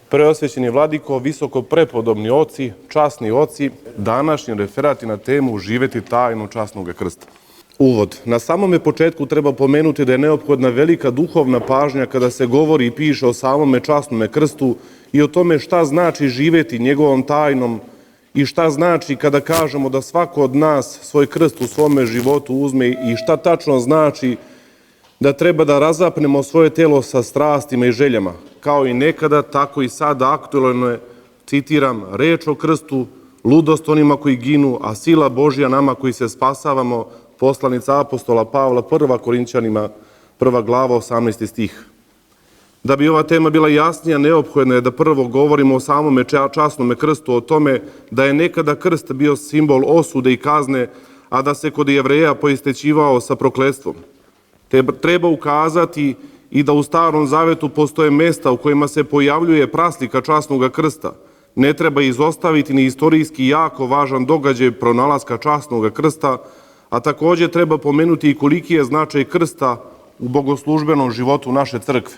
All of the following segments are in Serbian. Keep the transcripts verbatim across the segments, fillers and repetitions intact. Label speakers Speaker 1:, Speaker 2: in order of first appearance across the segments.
Speaker 1: Preosvećeni vladiko, visoko prepodobni oci, časni oci, današnji referat je na temu živeti tajnu časnog krsta. Uvod. Na samome početku treba pomenuti da je neophodna velika duhovna pažnja kada se govori i piše o samome časnome krstu i o tome šta znači živeti njegovom tajnom i šta znači kada kažemo da svako od nas svoj krst u svome životu uzme i šta tačno znači da treba da razapnemo svoje telo sa strastima i željama. Kao i nekada, tako i sada aktuelno je, citiram, reč o krstu, ludost onima koji ginu, a sila Božja nama koji se spasavamo, poslanica apostola Pavla, prva Korinćanima, prva glava, osamnaesti stih. Da bi ova tema bila jasnija, neophodno je da prvo govorimo o samome časnome krstu, o tome da je nekada krst bio simbol osude i kazne, a da se kod Jevreja poistećivao sa prokletstvom. Treba ukazati i da u Starom Zavetu postoje mesta u kojima se pojavljuje praslika časnog krsta. Ne treba izostaviti ni istorijski jako važan događaj pronalaska časnog krsta, a također treba pomenuti i koliki je značaj krsta u bogoslužbenom životu naše crkve.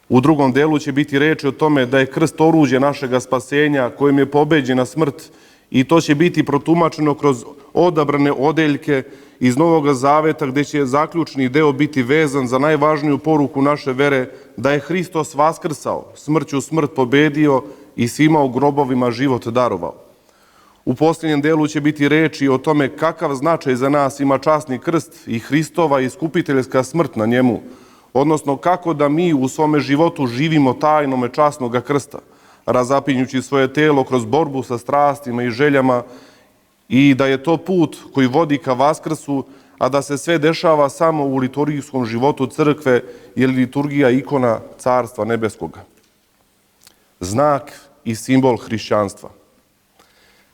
Speaker 1: U drugom delu će biti reči o tome da je krst oruđe našega spasenja kojim je pobeđena smrt i to će biti protumačeno kroz odabrane odeljke iz Novog Zaveta gde će zaključni deo biti vezan za najvažniju poruku naše vere da je Hristos vaskrsao, smrću smrt pobedio i svima u grobovima život darovao. U posljednjem delu će biti reči o tome kakav značaj za nas ima časni krst i Hristova iskupiteljska smrt na njemu, odnosno kako da mi u svome životu živimo tajnome časnog krsta, razapinjući svoje telo kroz borbu sa strastima i željama i da je to put koji vodi ka vaskrsu, a da se sve dešava samo u liturgijskom životu crkve jer liturgija ikona Carstva nebeskoga. Znak i simbol hrišćanstva.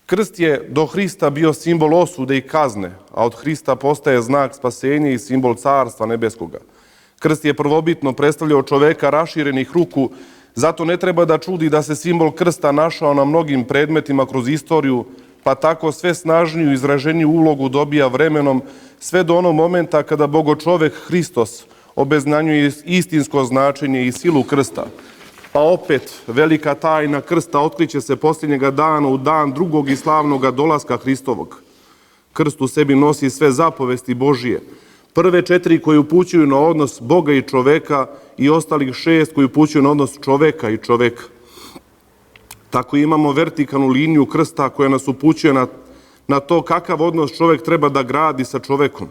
Speaker 1: Krst je do Hrista bio simbol osude i kazne, a od Hrista postaje znak spasenja i simbol Carstva nebeskoga. Krst je prvobitno predstavljao čoveka raširenih ruku, zato ne treba da čudi da se simbol krsta našao na mnogim predmetima kroz istoriju, pa tako sve snažniju i izraženiju ulogu dobija vremenom, sve do onog momenta kada bogočovek Hristos obeznanjuje istinsko značenje i silu krsta. Pa opet, velika tajna krsta otkriće se posljednjega dana u dan drugog i slavnog dolaska Hristovog. Krst u sebi nosi sve zapovesti Božije. Prve četiri koje upućuju na odnos Boga i čoveka i ostalih šest koji upućuju na odnos čoveka i čoveka. Tako imamo vertikalnu liniju krsta koja nas upućuje na, na to kakav odnos čovek treba da gradi sa čovekom,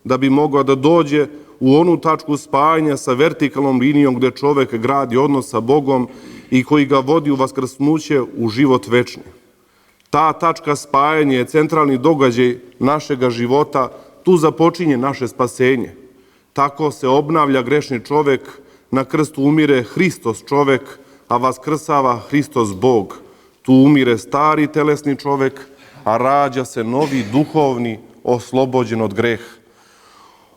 Speaker 1: da bi mogao da dođe u onu tačku spajanja sa vertikalnom linijom gde čovek gradi odnos sa Bogom i koji ga vodi u vaskrsnuće u život večni. Ta tačka spajanja je centralni događaj našega života, tu započinje naše spasenje. Tako se obnavlja grešni čovek, na krstu umire Hristos čovek, a vaskrsava Hristos Bog. Tu umire stari telesni čovek, a rađa se novi duhovni, oslobođen od greha.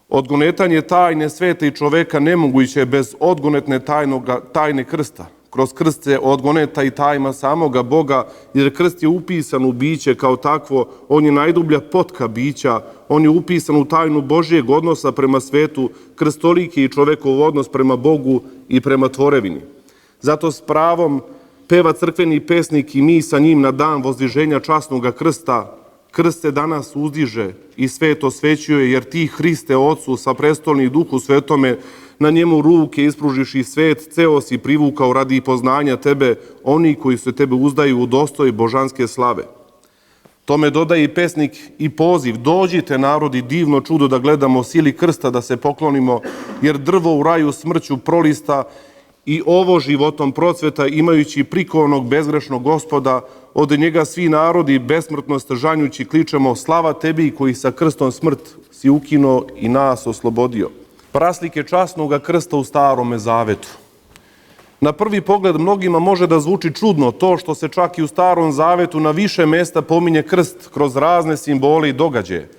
Speaker 1: Odgonetanje tajne sveta i čoveka nemoguće je bez odgonetne tajnoga, tajne krsta. Kroz krst se odgoneta i tajma samoga Boga, jer krst je upisan u biće kao takvo, on je najdublja potka bića, on je upisan u tajnu Božijeg odnosa prema svetu, krstoliki i čovekov odnos prema Bogu i prema tvorevini. Zato s pravom peva crkveni pesnik i mi sa njim na dan vozdiženja časnog krsta. Krst se danas uzdiže i svet osvećuje, jer ti, Hriste, Otcu, sa prestolni Duhu Svetome, na njemu ruke ispružiš i svet, ceo si privukao radi poznanja tebe, oni koji se tebe uzdaju u dostoj božanske slave. Tome dodaje i pesnik i poziv, dođite narodi divno čudo da gledamo, sili krsta da se poklonimo, jer drvo u raju smrću prolista i ovo životom procveta imajući prikovanog bezgrešnog Gospoda, od njega svi narodi besmrtnost žanjući kličemo slava tebi koji sa krstom smrt si ukinuo i nas oslobodio. Praslike časnog krsta u Starome Zavetu. Na prvi pogled mnogima može da zvuči čudno to što se čak i u Starom Zavetu na više mesta pominje krst kroz razne simbole i događaje.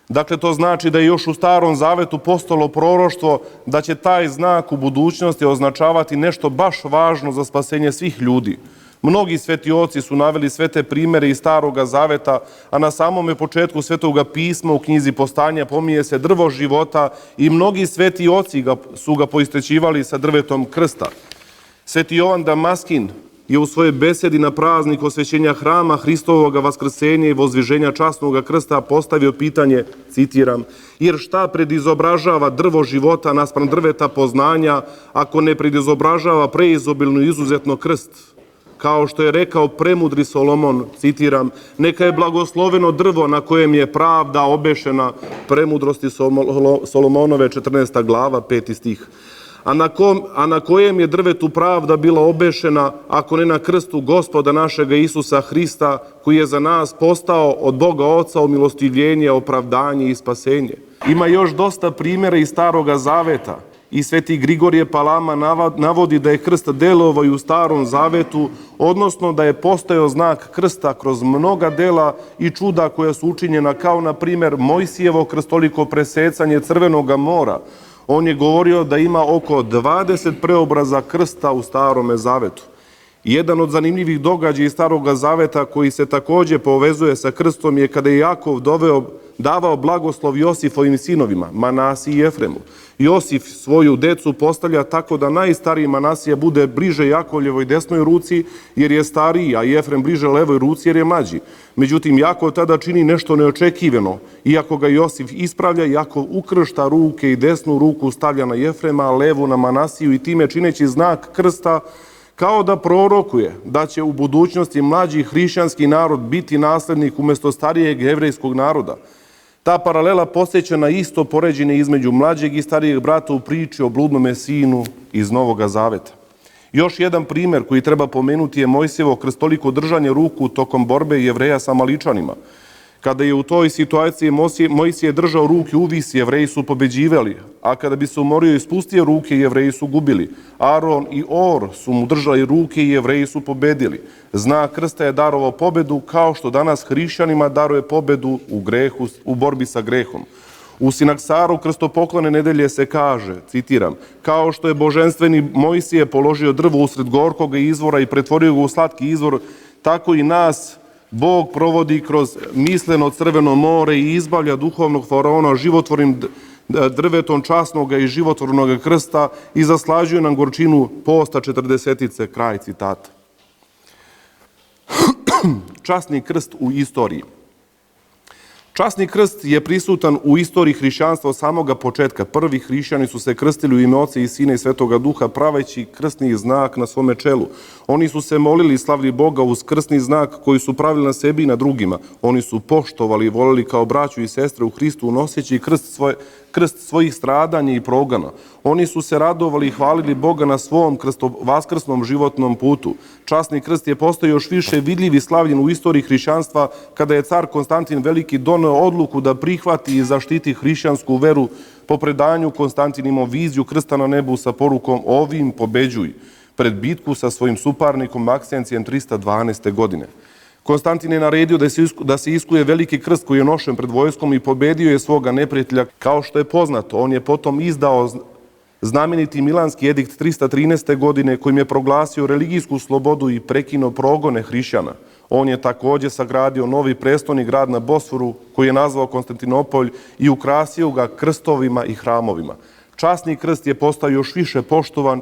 Speaker 1: Dakle, to znači da je još u Starom Zavetu postalo proroštvo da će taj znak u budućnosti označavati nešto baš važno za spasenje svih ljudi. Mnogi svetioci su naveli sve te primere iz Staroga Zaveta, a na samome početku Svetoga pisma u knjizi Postanja pominje se drvo života i mnogi svetioci su ga poistećivali sa drvetom krsta. Sveti Jovan Damaskin je u svojoj besedi na praznik osvećenja hrama Hristovoga vaskrsenja i vozviženja časnog krsta postavio pitanje, citiram, jer šta predizobražava drvo života naspram drveta poznanja, ako ne predizobražava preizobilno i izuzetno krst? Kao što je rekao premudri Solomon, citiram, neka je blagosloveno drvo na kojem je pravda obešena, Premudrosti Solomonove, četrnaesta glava, peti stih. A na, kom, a na kojem je drvetu pravda bila obešena, ako ne na krstu Gospoda našega Isusa Hrista, koji je za nas postao od Boga Oca umilostivljenje, opravdanje i spasenje. Ima još dosta primjera iz Staroga Zaveta. I sveti Grigorije Palama navodi da je krst delovao i u Starom Zavetu, odnosno da je postojao znak krsta kroz mnoga dela i čuda koja su učinjena, kao na primjer Mojsijevo krstoliko presecanje Crvenoga mora. On je govorio da ima oko dvadeset preobraza krsta u Starome Zavetu. Jedan od zanimljivih događaja iz Staroga Zaveta koji se takođe povezuje sa krstom je kada je Jakov doveo, davao blagoslov Josifovim sinovima, Manasiji i Jefremu. Josif svoju decu postavlja tako da najstariji Manasija bude bliže Jakovljevoj desnoj ruci jer je stariji, a Jefrem bliže levoj ruci jer je mlađi. Međutim, Jakov tada čini nešto neočekivano. Iako ga Josif ispravlja, Jakov ukršta ruke i desnu ruku stavlja na Jefrema, a levu na Manasiju i time čineći znak krsta, kao da prorokuje da će u budućnosti mlađi hrišćanski narod biti naslednik umjesto starijeg jevrejskog naroda. Ta paralela podsjeća na isto poređenje između mlađeg i starijeg brata u priči o bludnome sinu iz Novoga Zaveta. Još jedan primjer koji treba pomenuti je Mojsijevo krstoliko držanje ruku tokom borbe Jevreja sa Maličanima. Kada je u toj situaciji Mojsije držao ruke uvis, Jevreji su pobeđivali, a kada bi se umorio i spustio ruke, Jevreji su gubili. Aron i Or su mu držali ruke i Jevreji su pobedili. Znak krsta je darovao pobedu, kao što danas hrišćanima daruje pobedu u grehu, u borbi sa grehom. U Sinaksaru krstopoklone nedelje se kaže, citiram, kao što je boženstveni Mojsije položio drvo usred gorkog izvora i pretvorio ga u slatki izvor, tako i nas Bog provodi kroz misleno Crveno more i izbavlja duhovnog faraona životvornim drvetom časnog i životvornog krsta i zaslađuje nam gorčinu posta četrdesetice, kraj citata. Časni krst u istoriji. Časni krst je prisutan u istoriji hrišćanstva od samoga početka. Prvi hrišćani su se krstili u ime Oca i Sina i Svetoga Duha, praveći krstni znak na svome čelu. Oni su se molili i slavili Boga uz krstni znak koji su pravili na sebi i na drugima. Oni su poštovali i volili kao braću i sestre u Hristu, noseći krst, svoje, krst svojih stradanja i progona. Oni su se radovali i hvalili Boga na svom krsto, vaskrsnom životnom putu. Časni krst je postao još više vidljiv i slavljen u istoriji hrišćanstva kada je car Konstantin Veliki doneo odluku da prihvati i zaštiti hrišćansku veru po predanju Konstantinimo viziju krsta na nebu sa porukom ovim pobeđuj pred bitku sa svojim suparnikom Maksencijem trista dvanaeste. godine. Konstantin je naredio da se iskuje veliki krst koji je nošen pred vojskom i pobedio je svoga neprijatelja. Kao što je poznato, on je potom izdao znameniti Milanski edikt trista trinaeste. godine kojim je proglasio religijsku slobodu i prekinuo progone hrišćana. On je također sagradio novi prestolni grad na Bosforu koji je nazvao Konstantinopolj i ukrasio ga krstovima i hramovima. Časni krst je postao još više poštovan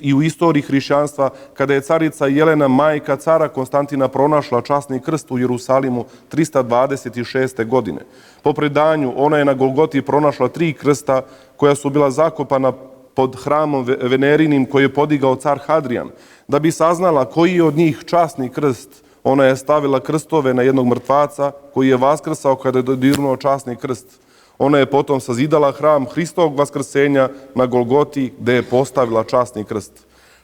Speaker 1: i u istoriji hrišćanstva kada je carica Jelena, majka cara Konstantina, pronašla časni krst u Jerusalimu trista dvadeset šeste. godine. Po predanju, ona je na Golgoti pronašla tri krsta koja su bila zakopana pod hramom Venerinim koji je podigao car Hadrijan. Da bi saznala koji je od njih časni krst, ona je stavila krstove na jednog mrtvaca koji je vaskrsao kada je dodirnuo časni krst. Ona je potom sazidala hram Hristovog vaskrsenja na Golgoti gde je postavila časni krst.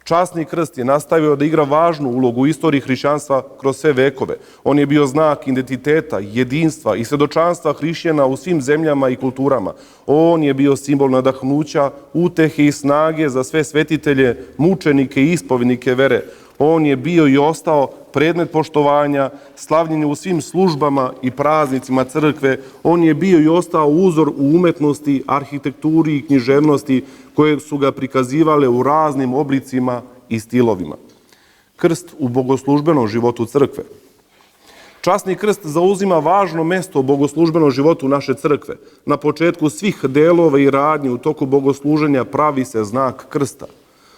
Speaker 1: Časni krst je nastavio da igra važnu ulogu u istoriji hrišćanstva kroz sve vekove. On je bio znak identiteta, jedinstva i svedočanstva hrišćana u svim zemljama i kulturama. On je bio simbol nadahnuća, utehe i snage za sve svetitelje, mučenike i ispovednike vere. On je bio i ostao predmet poštovanja, slavljenje u svim službama i praznicima crkve. On je bio i ostao uzor u umetnosti, arhitekturi i književnosti koje su ga prikazivale u raznim oblicima i stilovima. Krst u bogoslužbenom životu crkve. Časni krst zauzima važno mesto u bogoslužbenom životu naše crkve. Na početku svih delova i radnji u toku bogosluženja pravi se znak krsta.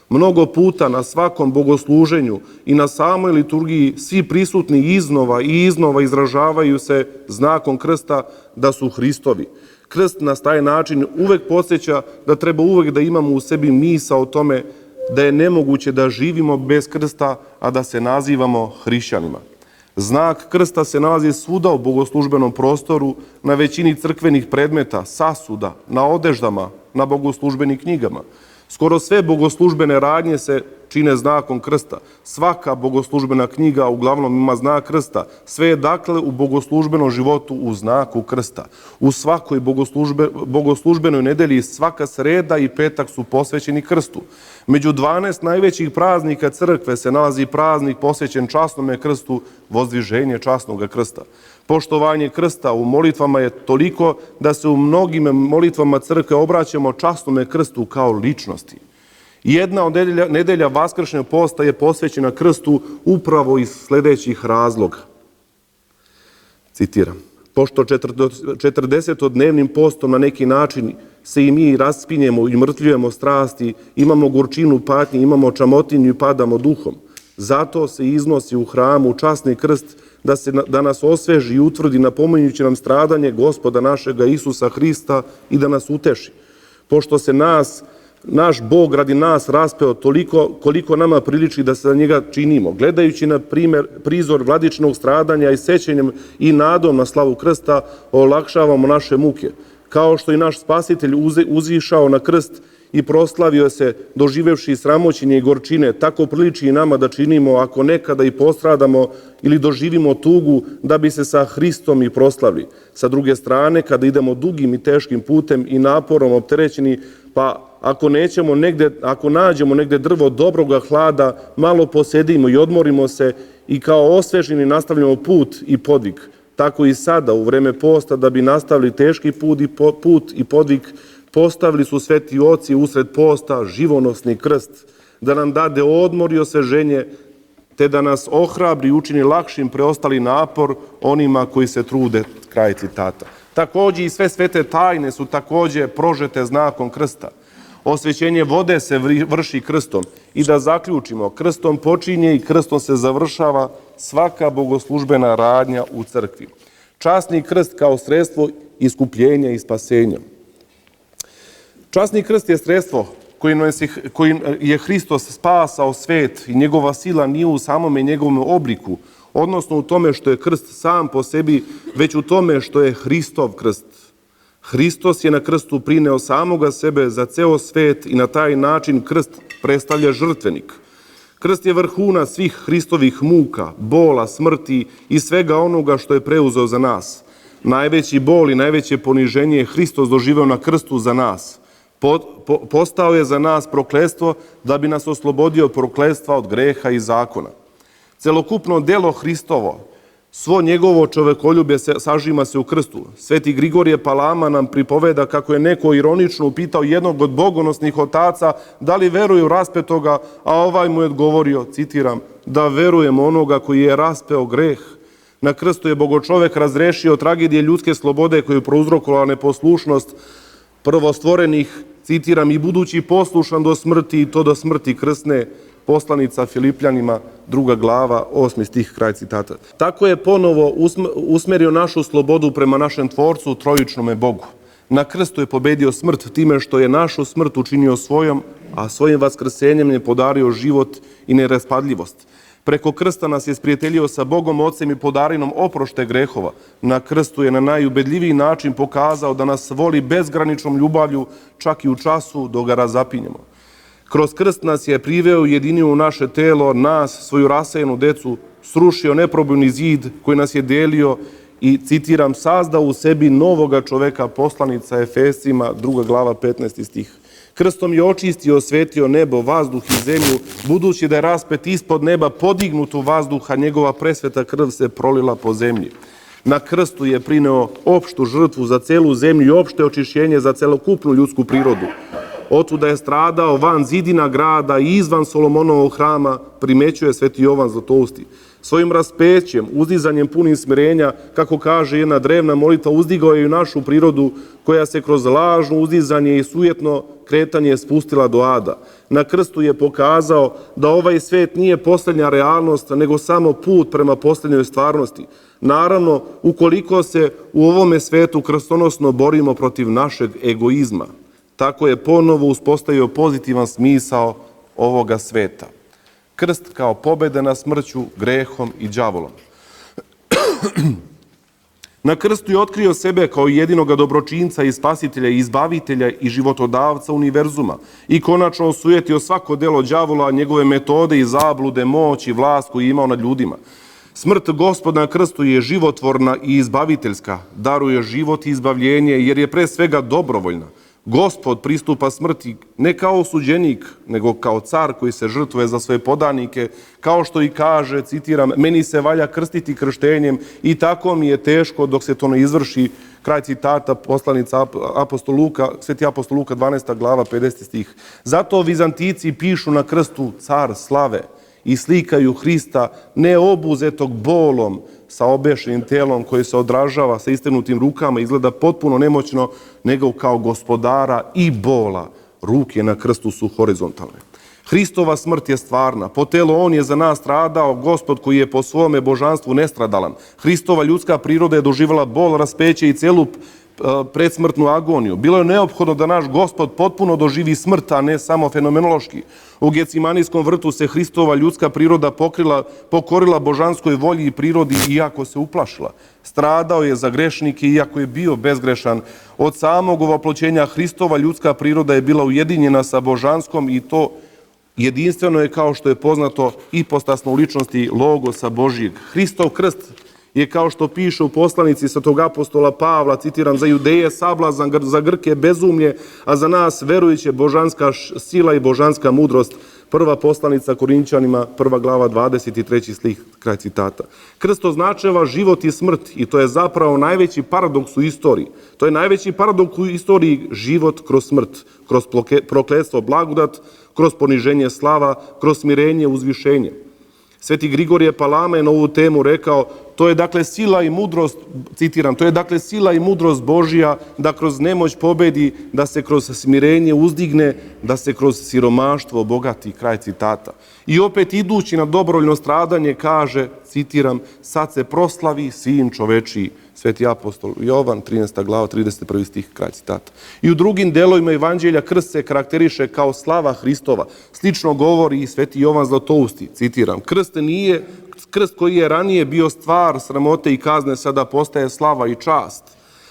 Speaker 1: Mnogo puta na svakom bogosluženju i na samoj liturgiji svi prisutni iznova i iznova izražavaju se znakom krsta da su Hristovi. Krst nas taj način uvek podsjeća da treba uvek da imamo u sebi misao o tome da je nemoguće da živimo bez krsta, a da se nazivamo hrišćanima. Znak krsta se nalazi svuda u bogoslužbenom prostoru, na većini crkvenih predmeta, sasuda, na odeždama, na bogoslužbenim knjigama. Skoro sve bogoslužbene radnje se čine znakom krsta. Svaka bogoslužbena knjiga uglavnom ima znak krsta. Sve je dakle u bogoslužbenom životu u znaku krsta. U svakoj bogoslužbe, bogoslužbenoj nedelji svaka sreda i petak su posvećeni krstu. Među dvanaest najvećih praznika crkve se nalazi praznik posvećen časnome krstu, vozdviženje časnog krsta. Poštovanje krsta u molitvama je toliko da se u mnogim molitvama crkve obraćamo časnome krstu kao ličnosti. Jedna od nedelja, nedelja Vaskršnjeg posta je posvećena krstu upravo iz sledećih razloga. Citiram. Pošto četrdesetodnevnim postom na neki način se i mi raspinjemo i mrtvljujemo strasti, imamo gorčinu patnje, imamo čamotinju i padamo duhom. Zato se iznosi u hramu časni krst da, se, da nas osveži i utvrdi napominjući nam stradanje Gospoda našega Isusa Hrista i da nas uteši. Pošto se nas, naš Bog radi nas raspeo toliko koliko nama priliči da se za njega činimo, gledajući na primer, prizor vladičnog stradanja i sećanjem i nadom na slavu krsta, olakšavamo naše muke. Kao što i naš Spasitelj uzišao na krst i proslavio se doživevši sramoćenje i gorčine, tako priliči i nama da činimo ako nekada i postradamo ili doživimo tugu da bi se sa Hristom i proslavili. Sa druge strane, kada idemo dugim i teškim putem i naporom opterećeni, pa ako nećemo negde, ako nađemo negde drvo dobroga hlada, malo posedimo i odmorimo se i kao osveženi nastavljamo put i podvig. Tako i sada u vreme posta da bi nastavili teški put i, po, put i podvig, postavili su sveti oci usred posta živonosni krst, da nam dade odmor i osveženje, te da nas ohrabri i učini lakšim preostali napor onima koji se trude. Kraj citata. Takođe i sve svete tajne su takođe prožete znakom krsta. Osvećenje vode se vrši krstom i da zaključimo, krstom počinje i krstom se završava svaka bogoslužbena radnja u crkvi. Časni krst kao sredstvo iskupljenja i spasenja. Časni krst je sredstvo kojim je Hristos spasao svet i njegova sila nije u samome njegovom obliku, odnosno u tome što je krst sam po sebi, već u tome što je Hristov krst. Hristos je na krstu prineo samoga sebe za ceo svet i na taj način krst predstavlja žrtvenik. Krst je vrhuna svih Hristovih muka, bola, smrti i svega onoga što je preuzeo za nas. Najveći bol i najveće poniženje je Hristos doživeo na krstu za nas. Po, po, postao je za nas prokletstvo da bi nas oslobodio prokletstva od greha i zakona. Celokupno delo Hristovo, svo njegovo čovekoljublje se, sažima se u krstu. Sveti Grigorije Palama nam pripoveda kako je neko ironično upitao jednog od bogonosnih otaca da li veruje u raspetoga, a ovaj mu je odgovorio, citiram, da verujem onoga koji je raspeo greh. Na krstu je bogočovek razrešio tragedije ljudske slobode koju je prouzrokovala neposlušnost prvostvorenih, citiram, i budući poslušan do smrti i to do smrti krsne, poslanica Filipljanima, druga glava, osmi stih, kraj citata. Tako je ponovo usmerio našu slobodu prema našem Tvorcu, trojičnome Bogu. Na krstu je pobedio smrt time što je našu smrt učinio svojom, a svojim vaskrsenjem je podario život i neraspadljivost. Preko krsta nas je sprijateljio sa Bogom Ocem i podarinom oprošte grehova. Na krstu je na najubedljiviji način pokazao da nas voli bezgraničnom ljubavlju, čak i u času dok ga razapinjemo. Kroz krst nas je priveo i jedinio u naše telo, nas, svoju rasejenu decu, srušio neprobojni zid koji nas je delio i, citiram, sazdao u sebi novoga čoveka, poslanica Efesima, druga glava, petnaesti stih. Krstom je očistio i osvetio nebo, vazduh i zemlju, budući da je raspet ispod neba podignut u vazduha, njegova presveta krv se prolila po zemlji. Na krstu je prineo opštu žrtvu za celu zemlju i opšte očišćenje za celokupnu ljudsku prirodu. Otuda je stradao van zidina grada i izvan Solomonovog hrama, primećuje sveti Jovan Zlatousti. Svojim raspećem, uzdizanjem punim smirenja, kako kaže jedna drevna molitva, uzdigao je i našu prirodu koja se kroz lažno uzdizanje i sujetno kretanje spustila do ada. Na krstu je pokazao da ovaj svet nije posljednja realnost, nego samo put prema posljednjoj stvarnosti. Naravno, ukoliko se u ovome svetu krstonosno borimo protiv našeg egoizma, tako je ponovo uspostavio pozitivan smisao ovoga sveta. Krst kao pobjeda nad smrću, grehom i đavolom. Na krstu je otkrio sebe kao jedinoga dobročinca i spasitelja i izbavitelja i životodavca univerzuma i konačno osujetio svako delo đavola, njegove metode i zablude, moć i vlast koju je imao nad ljudima. Smrt Gospoda na krstu je životvorna i izbaviteljska, daruje život i izbavljenje jer je pre svega dobrovoljna. Gospod pristupa smrti ne kao osuđenik, nego kao car koji se žrtvuje za svoje podanike, kao što i kaže, citiram, meni se valja krstiti krštenjem i tako mi je teško dok se to ne izvrši, kraj citata poslanica apostol Luka, sveti apostol Luka, dvanaesta glava, pedeseti stih. Zato Vizantici pišu na krstu car slave i slikaju Hrista ne obuzetog bolom, sa obešenim telom koji se odražava sa istegnutim rukama, izgleda potpuno nemoćno, nego kao gospodara i bola. Ruke na krstu su horizontalne. Hristova smrt je stvarna. Po telu on je za nas stradao, Gospod koji je po svome božanstvu nestradalan. Hristova ljudska priroda je doživala bol, raspeće i celu predsmrtnu agoniju. Bilo je neophodno da naš Gospod potpuno doživi smrt, a ne samo fenomenološki. U Gecimanijskom vrtu se Hristova ljudska priroda pokrila, pokorila božanskoj volji i prirodi, iako se uplašila. Stradao je za grešnike, iako je bio bezgrešan. Od samog ovoploćenja Hristova ljudska priroda je bila ujedinjena sa božanskom i to jedinstveno je, kao što je poznato, ipostasno u ličnosti Logosa Božijeg. Hristov krst je, kao što piše u poslanici svetog apostola Pavla, citiram, za Judeje sablazan, za Grke bezumlje, a za nas verujuće božanska sila i božanska mudrost. Prva poslanica Korinćanima, prva glava, dvadeset treći stih, kraj citata. Krst označava život i smrt i to je zapravo najveći paradoks u istoriji. To je najveći paradoks u istoriji, život kroz smrt, kroz prokletstvo blagodat, kroz poniženje slava, kroz smirenje uzvišenje. Sveti Grigorije Palama je na ovu temu rekao, to je dakle sila i mudrost, citiram, to je dakle sila i mudrost Božija da kroz nemoć pobedi, da se kroz smirenje uzdigne, da se kroz siromaštvo obogati, kraj citata. I opet idući na dobrovoljno stradanje kaže, citiram, sad se proslavi sin čovečiji, sveti apostol Jovan, trinaesta glava, trideset prvi stih, kraj citata. I u drugim delovima evanđelja krst se karakteriše kao slava Hristova. Slično govori i sveti Jovan Zlatousti, citiram, krst nije, krst koji je ranije bio stvar sramote i kazne, sada postaje slava i čast.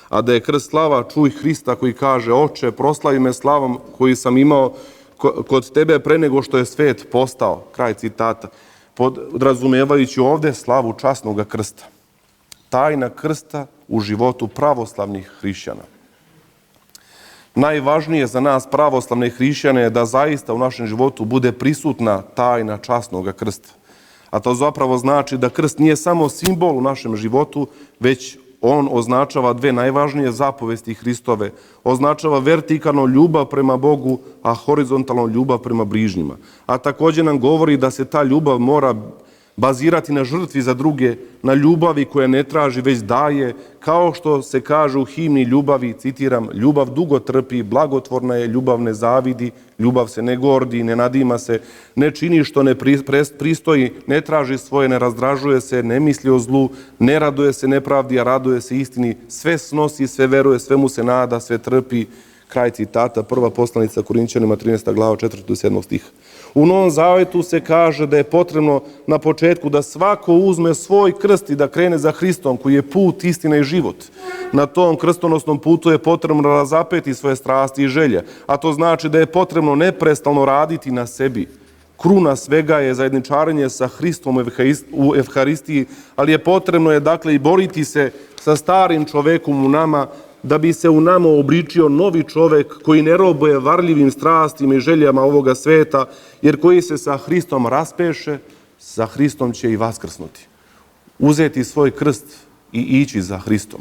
Speaker 1: A da je krst slava, čuj Hrista koji kaže, oče, proslavi me slavom koji sam imao kod tebe pre nego što je svet postao, kraj citata, podrazumevajući ovde slavu časnog krsta. Tajna krsta u životu pravoslavnih hrišćana. Najvažnije za nas pravoslavne hrišćane je da zaista u našem životu bude prisutna tajna časnog krsta. A to zapravo znači da krst nije samo simbol u našem životu, već on označava dve najvažnije zapovesti Hristove. Označava vertikalno ljubav prema Bogu, a horizontalno ljubav prema bližnjima. A također nam govori da se ta ljubav mora bazirati na žrtvi za druge, na ljubavi koja ne traži, već daje, kao što se kaže u himni ljubavi, citiram, ljubav dugo trpi, blagotvorna je, ljubav ne zavidi, ljubav se ne gordi, ne nadima se, ne čini što ne pristoji, ne traži svoje, ne razdražuje se, ne misli o zlu, ne raduje se nepravdi, a raduje se istini, sve snosi, sve veruje, sve mu se nada, sve trpi, kraj citata, prva poslanica Korinćanima, trinaesta glava, četvrti do sedmog stiha. U Novom Zavetu se kaže da je potrebno na početku da svako uzme svoj krst i da krene za Hristom, koji je put, istina i život. Na tom krstonosnom putu je potrebno razapeti svoje strasti i želje, a to znači da je potrebno neprestalno raditi na sebi. Kruna svega je zajedničarenje sa Hristom u Evharistiji, ali je potrebno je dakle i boriti se sa starim čovekom u nama, da bi se u nama obličio novi čovek koji ne robuje varljivim strastima i željama ovoga sveta, jer koji se sa Hristom raspeše, sa Hristom će i vaskrsnuti. Uzeti svoj krst i ići za Hristom.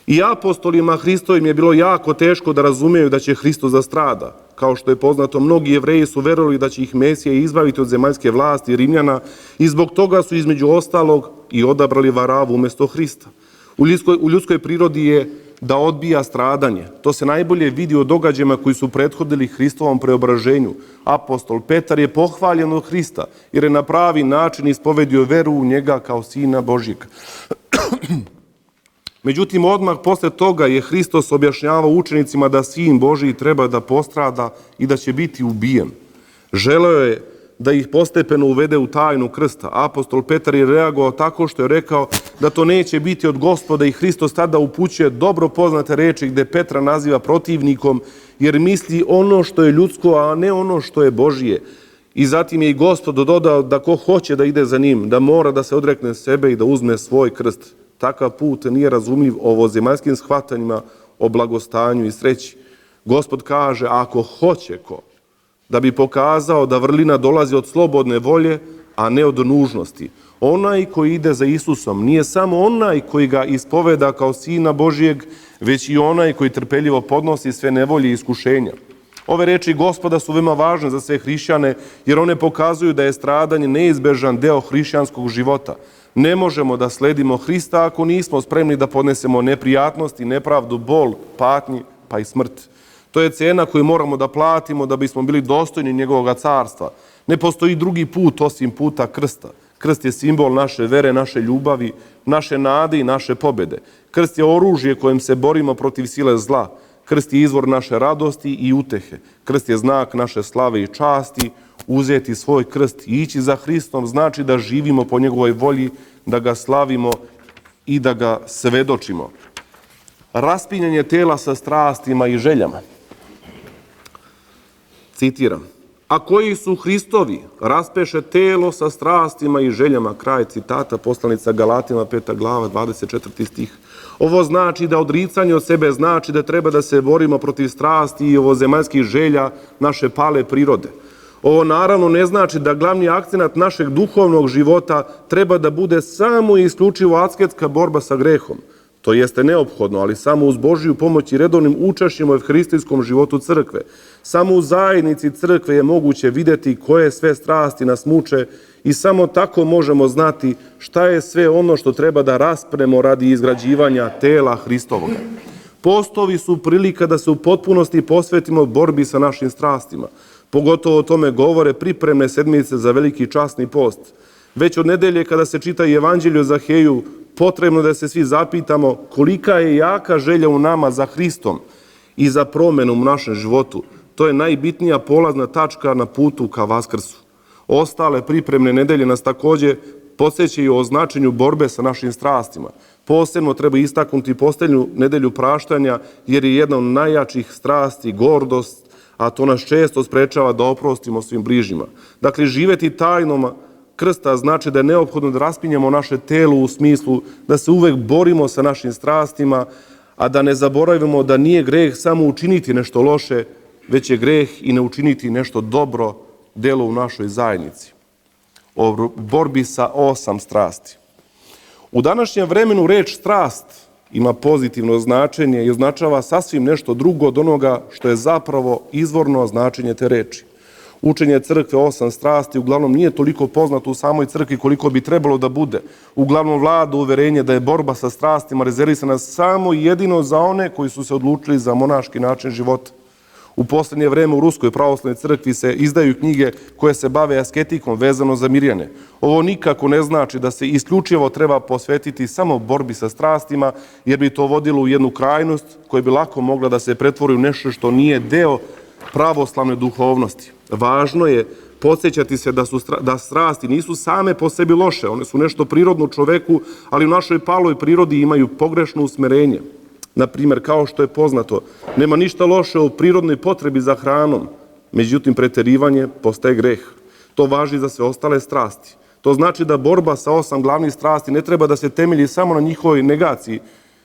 Speaker 1: I apostolima Hristovim je bilo jako teško da razumeju da će Hristos da strada. Kao što je poznato, mnogi Jevreji su verovali da će ih Mesija izbaviti od zemaljske vlasti Rimljana i zbog toga su između ostalog i odabrali Varavu umjesto Hrista. U ljudskoj, u ljudskoj prirodi je da odbija stradanje. To se najbolje vidi u događajima koji su prethodili Hristovom preobraženju. Apostol Petar je pohvaljen od Hrista jer je na pravi način ispovedio veru u njega kao Sina Božjeg. Međutim, odmah posle toga je Hristos objašnjavao učenicima da Sin Božji treba da postrada i da će biti ubijen. Želeo je da ih postepeno uvede u tajnu krsta. Apostol Petar je reagovao tako što je rekao da to neće biti od Gospoda i Hristos tada upućuje dobro poznate reči gde Petra naziva protivnikom jer misli ono što je ljudsko, a ne ono što je Božije. I zatim je i Gospod dodao da ko hoće da ide za njim, da mora da se odrekne sebe i da uzme svoj krst. Takav put nije razumljiv ovozemaljskim shvatanjima o blagostanju i sreći. Gospod kaže, ako hoće ko, da bi pokazao da vrlina dolazi od slobodne volje, a ne od nužnosti. Onaj koji ide za Isusom nije samo onaj koji ga ispoveda kao Sina Božijeg, već i onaj koji trpeljivo podnosi sve nevolje i iskušenja. Ove reči Gospoda su veoma važne za sve hrišćane, jer one pokazuju da je stradanje neizbežan deo hrišćanskog života. Ne možemo da sledimo Hrista ako nismo spremni da podnesemo neprijatnosti, nepravdu, bol, patnji, pa i smrt. To je cena koju moramo da platimo da bismo bili dostojni njegovog carstva. Ne postoji drugi put osim puta krsta. Krst je simbol naše vere, naše ljubavi, naše nade i naše pobjede. Krst je oružje kojim se borimo protiv sile zla. Krst je izvor naše radosti i utehe. Krst je znak naše slave i časti. Uzeti svoj krst i ići za Hristom znači da živimo po njegovoj volji, da ga slavimo i da ga svedočimo. Raspinjanje tela sa strastima i željama. Citiram. A koji su Hristovi, raspeše telo sa strastima i željama. Kraj citata, poslanica Galatima, peta glava, dvadeset četvrti stih. Ovo znači da odricanje od sebe znači da treba da se borimo protiv strasti i ovozemaljskih želja naše pale prirode. Ovo naravno ne znači da glavni akcenat našeg duhovnog života treba da bude samo i isključivo asketska borba sa grehom. To jeste neophodno, ali samo uz Božju pomoć i redovnim učešćem u evharistijskom životu crkve. Samo u zajednici crkve je moguće vidjeti koje sve strasti nas muče i samo tako možemo znati šta je sve ono što treba da raspremo radi izgrađivanja tela Hristovoga. Postovi su prilika da se u potpunosti posvetimo borbi sa našim strastima. Pogotovo o tome govore pripremne sedmice za veliki časni post. Već od nedelje kada se čita Evanđelje o Zaheju, potrebno da se svi zapitamo kolika je jaka želja u nama za Hristom i za promjenu u našem životu. To je najbitnija polazna tačka na putu ka Vaskrsu. Ostale pripremne nedelje nas također podsjećaju o značenju borbe sa našim strastima. Posebno treba istaknuti posljednju nedelju praštanja jer je jedna od najjačih strasti gordost, a to nas često sprečava da oprostimo svim bližnjima. Dakle, živeti tajnom krsta znači da je neophodno da raspinjamo naše telo u smislu da se uvek borimo sa našim strastima, a da ne zaboravimo da nije greh samo učiniti nešto loše, već je greh i ne učiniti nešto dobro delo u našoj zajednici. O borbi sa osam strasti. U današnjem vremenu reč strast ima pozitivno značenje i označava sasvim nešto drugo od onoga što je zapravo izvorno značenje te reči. Učenje crkve osam strasti uglavnom nije toliko poznato u samoj crkvi koliko bi trebalo da bude. Uglavnom vlada uverenje da je borba sa strastima rezervisana samo i jedino za one koji su se odlučili za monaški način života. U posljednje vreme u Ruskoj pravoslavnoj crkvi se izdaju knjige koje se bave asketikom vezano za Mirjane. Ovo nikako ne znači da se isključivo treba posvetiti samo borbi sa strastima, jer bi to vodilo u jednu krajnost koja bi lako mogla da se pretvori u nešto što nije deo pravoslavne duhovnosti. Važno je podsjećati se da, su, da strasti nisu same po sebi loše, one su nešto prirodno čoveku, ali u našoj paloj prirodi imaju pogrešno usmerenje. Na primjer, kao što je poznato, nema ništa loše u prirodnoj potrebi za hranom, međutim preterivanje postaje greh. To važi za sve ostale strasti. To znači da borba sa osam glavnih strasti ne treba da se temelji samo na njihovoj negaciji,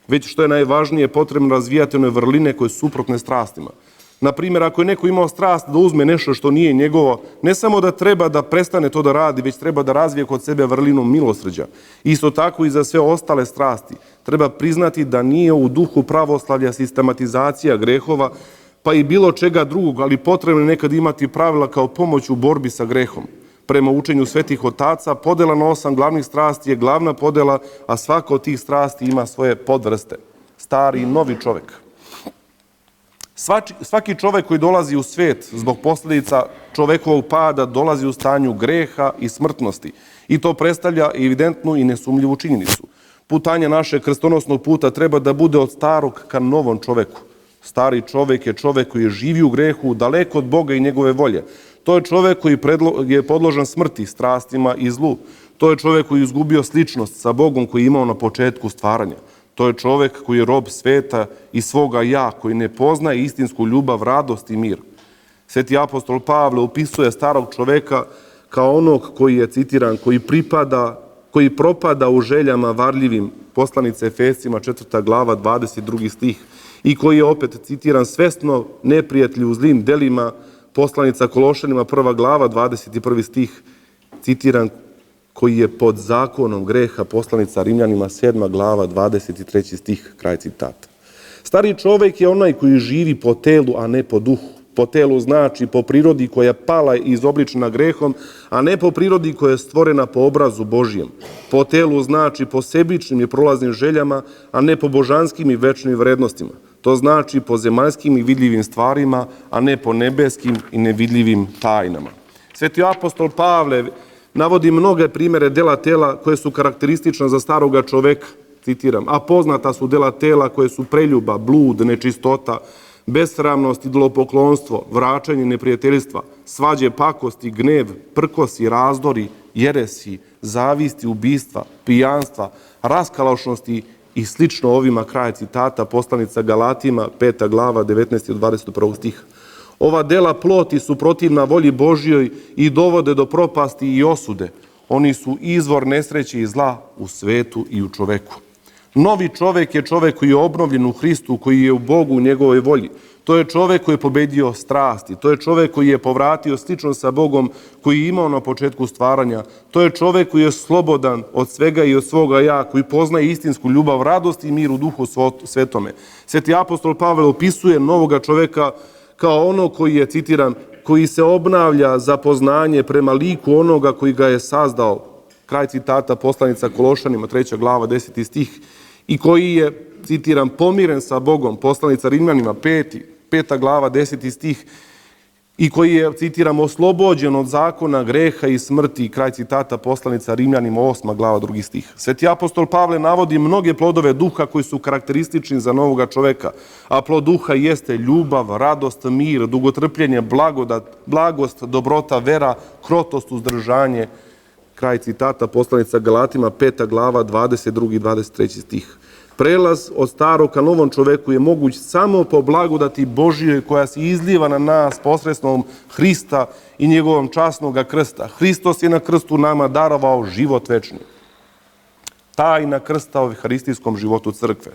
Speaker 1: već što je najvažnije potrebno razvijati one vrline koje su suprotne strastima. Na primjer, ako je neko imao strast da uzme nešto što nije njegovo, ne samo da treba da prestane to da radi, već treba da razvije kod sebe vrlinu milosrđa. Isto tako i za sve ostale strasti. Treba priznati da nije u duhu pravoslavlja sistematizacija grehova, pa i bilo čega drugog, ali potrebno je nekad imati pravila kao pomoć u borbi sa grehom. Prema učenju svetih otaca, podela na osam glavnih strasti je glavna podela, a svaka od tih strasti ima svoje podvrste. Stari i novi čovek. Svaki čovek koji dolazi u svet zbog posljedica čovekovog pada dolazi u stanju greha i smrtnosti. I to predstavlja evidentnu i nesumljivu činjenicu. Putanje našeg krstonosnog puta treba da bude od starog ka novom čoveku. Stari čovek je čovek koji živi u grehu, daleko od Boga i njegove volje. To je čovek koji je podložan smrti, strastima i zlu. To je čovek koji je izgubio sličnost sa Bogom koji je imao na početku stvaranja. To je čovek koji je rob sveta i svoga ja, koji ne poznaje istinsku ljubav, radost i mir. Sveti apostol Pavle opisuje starog čoveka kao onog koji je, citiran, koji pripada, koji propada u željama varljivim, poslanica Efescima četvrta glava, dvadeset drugi stih, i koji je opet, citiran, svesno neprijatelj u zlim delima, poslanica Kološanima prva glava, dvadeset prvi stih, citiran, koji je pod zakonom greha, poslanica Rimljanima sedma glava, dvadeset treći stih, kraj citata. Stari čovek je onaj koji živi po telu, a ne po duhu. Po telu znači po prirodi koja je pala i izobličena grehom, a ne po prirodi koja je stvorena po obrazu Božijem. Po telu znači po sebičnim i prolaznim željama, a ne po božanskim i večnim vrednostima. To znači po zemaljskim i vidljivim stvarima, a ne po nebeskim i nevidljivim tajnama. Sveti apostol Pavle navodi mnoge primere dela tela koje su karakteristične za staroga čoveka, citiram, a poznata su dela tela koje su preljuba, blud, nečistota, besramnost, idolopoklonstvo, vraćanje neprijateljstva, svađe, pakosti, gnev, prkosi, razdori, jeresi, zavisti, ubistva, pijanstva, raskalašnosti i slično ovima, kraj citata, poslanica Galatima, peta glava, devetnaesti do dvadeset prvog stiha. Ova dela ploti su protivna volji Božjoj i dovode do propasti i osude. Oni su izvor nesreće i zla u svetu i u čoveku. Novi čovek je čovek koji je obnovljen u Hristu, koji je u Bogu u njegovoj volji. To je čovek koji je pobedio strasti. To je čovek koji je povratio sličnost sa Bogom koji je imao na početku stvaranja. To je čovek koji je slobodan od svega i od svoga ja, koji poznaje istinsku ljubav, radost i mir u duhu svetome. Sveti apostol Pavle opisuje novoga čoveka kao ono koji je, citiram, koji se obnavlja za poznanje prema liku onoga koji ga je sazdao, kraj citata, poslanica Kološanima, treća glava, deseti stih, i koji je, citiram, pomiren sa Bogom, poslanica Rimljanima, peti, peta glava, deseti stih, i koji je, citiram, oslobođen od zakona, greha i smrti, kraj citata, poslanica Rimljanima, osma glava, drugi stih. Sveti apostol Pavle navodi mnoge plodove duha koji su karakteristični za novoga čoveka, a plod duha jeste ljubav, radost, mir, dugotrpljenje, blagodat, blagost, dobrota, vera, krotost, uzdržanje, kraj citata, poslanica Galatima, peta glava, dvadeset drugi i dvadeset treći stih. Prelaz od starog ka novom čoveku je moguć samo po blagodati Božijoj koja se izliva na nas posredstvom Hrista i njegovom časnog krsta. Hristos je na krstu nama darovao život večni. Tajna krsta u euharistijskom životu crkve.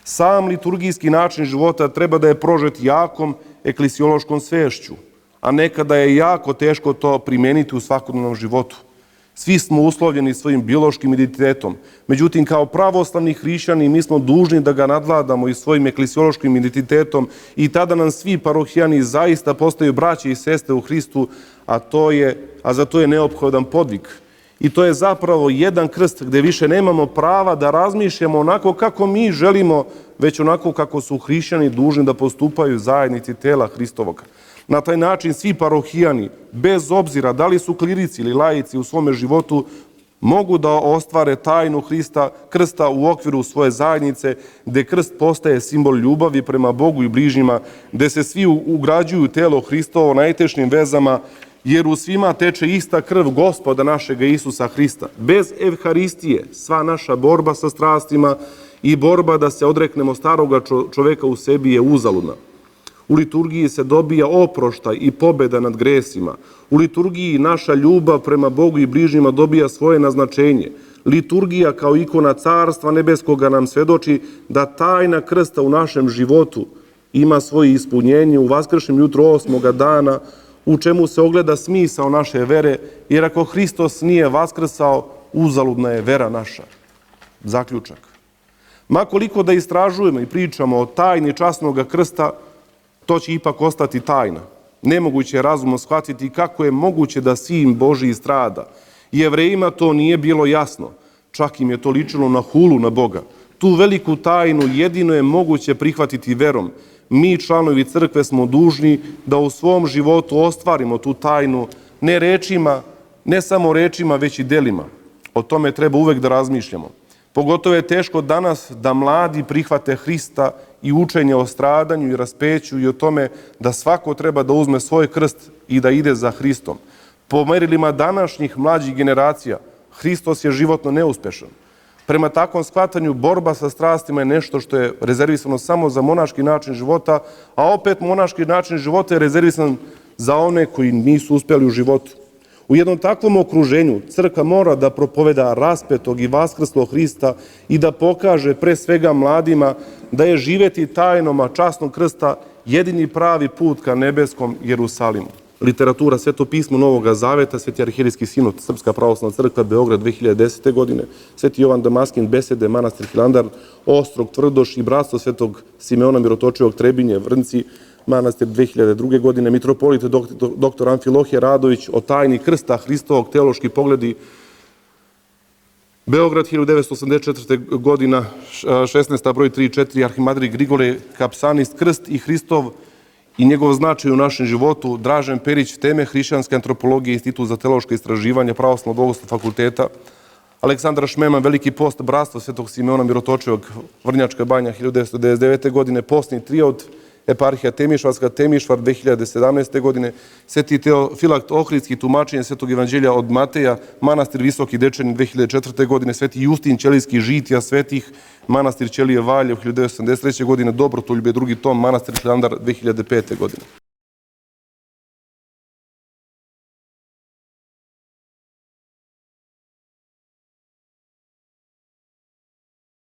Speaker 1: Sam liturgijski način života treba da je prožet jakom eklesiološkom svešću, a nekada je jako teško to primeniti u svakodnevnom životu. Svi smo uslovljeni svojim biološkim identitetom. Međutim, kao pravoslavni hrišćani mi smo dužni da ga nadvladamo i svojim eklesiološkim identitetom i tada nam svi parohijani zaista postaju braće i sestre u Hristu, a, to je, a za to je neophodan podvig. I to je zapravo jedan krst gde više nemamo prava da razmišljamo onako kako mi želimo, već onako kako su hrišćani dužni da postupaju zajednici tela Hristovoga. Na taj način svi parohijani, bez obzira da li su klirici ili laici u svome životu, mogu da ostvare tajnu Hrista, krsta u okviru svoje zajednice, gde krst postaje simbol ljubavi prema Bogu i bližnjima, gde se svi ugrađuju telo Hristovo najtešnjim vezama, jer u svima teče ista krv Gospoda našega Isusa Hrista. Bez evharistije sva naša borba sa strastima i borba da se odreknemo staroga čoveka u sebi je uzaludna. U liturgiji se dobija oproštaj i pobeda nad gresima. U liturgiji naša ljubav prema Bogu i bližnjima dobija svoje naznačenje. Liturgija kao ikona Carstva Nebeskoga nam svedoči da tajna krsta u našem životu ima svoje ispunjenje u vaskršnjem jutru osmoga dana, u čemu se ogleda smisao naše vere, jer ako Hristos nije vaskrsao, uzaludna je vera naša. Zaključak. Ma koliko da istražujemo i pričamo o tajni časnog krsta, to će ipak ostati tajna. Nemoguće je razumno shvatiti kako je moguće da sin Božiji strada. Jevrejima to nije bilo jasno, čak im je to ličilo na hulu na Boga. Tu veliku tajnu jedino je moguće prihvatiti verom. Mi, članovi crkve, smo dužni da u svom životu ostvarimo tu tajnu, ne rečima, ne samo rečima, već i delima. O tome treba uvek da razmišljamo. Pogotovo je teško danas da mladi prihvate Hrista i učenje o stradanju i raspeću i o tome da svako treba da uzme svoj krst i da ide za Hristom. Po merilima današnjih mlađih generacija, Hristos je životno neuspešan. Prema takvom shvatanju, borba sa strastima je nešto što je rezervisano samo za monaški način života, a opet monaški način života je rezervisan za one koji nisu uspjeli u životu. U jednom takvom okruženju crkva mora da propoveda raspetog i vaskrslog Hrista i da pokaže pre svega mladima da je živeti tajnom, a časnog krsta jedini pravi put ka nebeskom Jerusalimu. Literatura, Sveto pismo Novoga Zaveta, Sveti arhijerijski sinod, Srpska pravoslavna crkva, Beograd dve hiljade desete. godine, Sveti Jovan Damaskin, Besede, manastir Hilandar, Ostrog, Tvrdoš i bratstvo Svetog Simeona Mirotočivog, Trebinje, Vrnci, manastir dve hiljade druge. godine, mitropolit doktor Amfilohije Radović o tajni krsta Hristovog, teološki pogledi, Beograd, hiljadu devetsto osamdeset četvrte. godina, šesnaesta. broj tri i četiri, arhimadrij Grigorije Kapsanist, krst i Hristov i njegov značaj u našem životu, Dražen Perić, teme hrišćanske antropologije, Institut za teološka istraživanja, Pravoslavnog bogoslovnog fakulteta, Aleksandar Šmeman, Veliki post, bratstvo Svetog Simeona Mirotočivog, Vrnjačka Banja, hiljadu devetsto devedeset devete. godine, postni triod, eparhija Temišvarska, Temišvar, dve hiljade sedamnaeste. godine, Sveti Teofilakt Ohridski, tumačenje Svetog evanđelja od Mateja, manastir Visoki Dečani, dve hiljade četvrte. godine, Sveti Justin Ćelijski, žitija svetih, manastir Ćelije Valjev, hiljadu devetsto osamdeset treće. godine, Dobrotoljublje, drugi tom, manastir Hilandar, dve hiljade pete. godine.